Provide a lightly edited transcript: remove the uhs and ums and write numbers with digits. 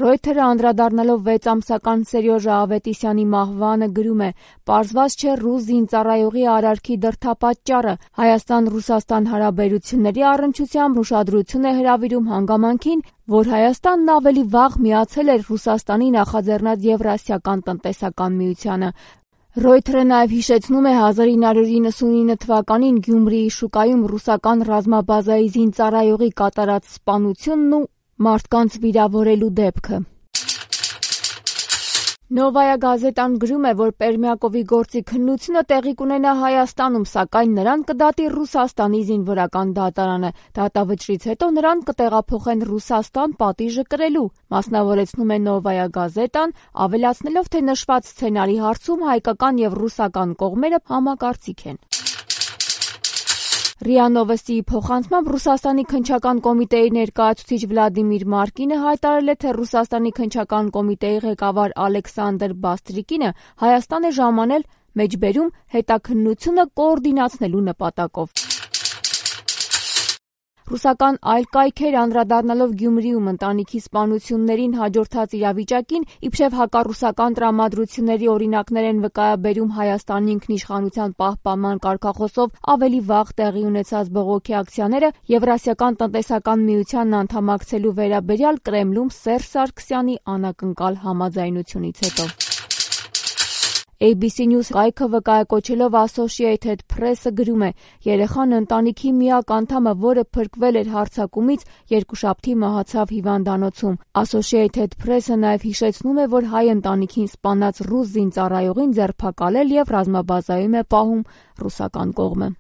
Ռոյթերը անդրադառնալով 6 ամսական Սերյոժա Ավետիսյանի մահվանը գրում է. «Պարզված չէ ռուս զինծառայողի արարքի դրդապատճառը։ Հայաստան-Ռուսաստան հարաբերությունների առնչությամբ ուշադրություն է հրավիրում հանգամանքին, որ Հայաստանն ավելի վաղ միացել էր Ռուսաստանի նախաձեռնած Եվրասիական տնտեսական միությանը»։ Ռոյթերը նաև հիշեցնում է 1999 թվականին Գյումրիի շուկայում ռուսական ռազմաբազայի զինծառայողի կատարած սպանությունն ու մարդկանց վիրավորելու դեպքը։ Նովայա գազետան գրում է, որ Պերմյակովի գործի քննությունը տեղի կունենա Հայաստանում, սակայն նրան կդատի Ռուսաստանի զինվորական դատարանը։ Դատավճռից հետո նրան կտեղափոխեն Ռուսաստան պատիժը կրելու, մասնավորեցնում է Նովայա գազետան, ավելացնելով, թե նշված սցենարի հարցում հայկական եւ ռուսական կողմերը համակարծիք են։ ՌԻԱ Նովոստիի փոխանցմամբ Ռուսաստանի քննչական կոմիտեի ներկայացուցիչ Վլադիմիր Մարկինը հայտարարել է, թե Ռուսաստանի քննչական կոմիտեի ղեկավար Ալեքսանդր Բաստրիկինը Հայաստան է ժամանել մեջբերում հետաքննությունը կոորդինացնելու նպատակով։ Ռուսական այլ կայքեր անդրադառնալով Գյումրիում ընտանիքի սպանություններին հաջորդած իրավիճակին, իբրև հակառուսական տրամադրությունների օրինակներ են վկայաբերում Հայաստանի ինքնիշխանության պահպանման կարգախոսով ավելի վաղ տեղի ունեցած բողոքի ակցիաները Եվրասիական տնտեսական միությանն անդամակցելու վերաբերյալ Կրեմլում Սերժ Սարգսյանի անակնկալ համաձայնությունից հետո։ ABC News կայքը վկայակոչելով Associated Press-ը գրում է. երեխան ընտանիքի միակ անդամը, որը փրկվել էր հարձակումից, երկուշաբթի մահացավ հիվանդանոցում։ Associated Press-ը նաև հիշեցնում է, որ հայ ընտանիքին սպանած ռուս զինծառայողին ձերբակալել եւ ռազմաբազայում է պահում ռուսական կողմը։